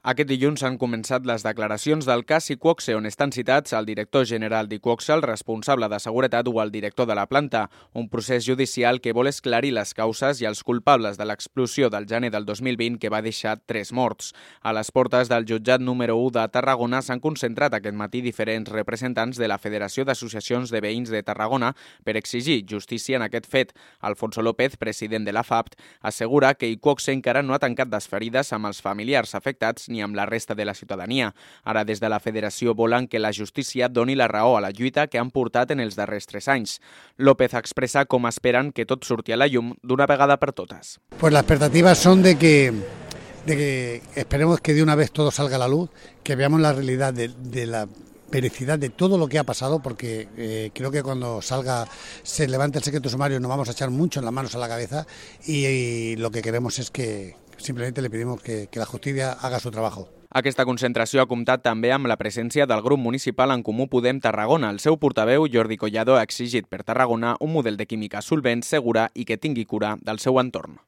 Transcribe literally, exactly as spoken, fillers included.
Aquest dilluns han començat les declaracions del cas Iqoxe, on estan citats el director general d'Iqoxe, el responsable de seguretat o el director de la planta, un procés judicial que vol esclarir les causes i els culpables de l'explosió del gener del dos mil vint que va deixar tres morts. A les portes del jutjat número u de Tarragona s'han concentrat aquest matí diferents representants de la Federació d'Associacions de Veïns de Tarragona per exigir justícia en aquest fet. Alfonso López, president de la F A P T, assegura que Iqoxe encara no ha tancat les ferides amb els familiars afectats ni amb la resta de la ciutadania. Ara, des de la Federació volen que la justícia doni la raó a la lluita que han portat en els darrers tres anys. López expressa com esperen que tot surti a la llum d'una vegada per totes. Pues las expectativas son de que, de que esperemos que de una vez todo salga a la luz, que veamos la realidad de, de la vericidad de todo lo que ha pasado, porque eh, creo que cuando salga, se levante el secreto sumario, nos vamos a echar mucho en las manos a la cabeza y, y lo que queremos es que simplemente le pedimos que, que la justicia haga su trabajo. Aquesta concentració ha comptat també amb la presència del grup municipal En Comú Podem Tarragona. El seu portaveu, Jordi Collado, ha exigit per Tarragona un model de química solvent, segura i que tingui cura del seu entorn.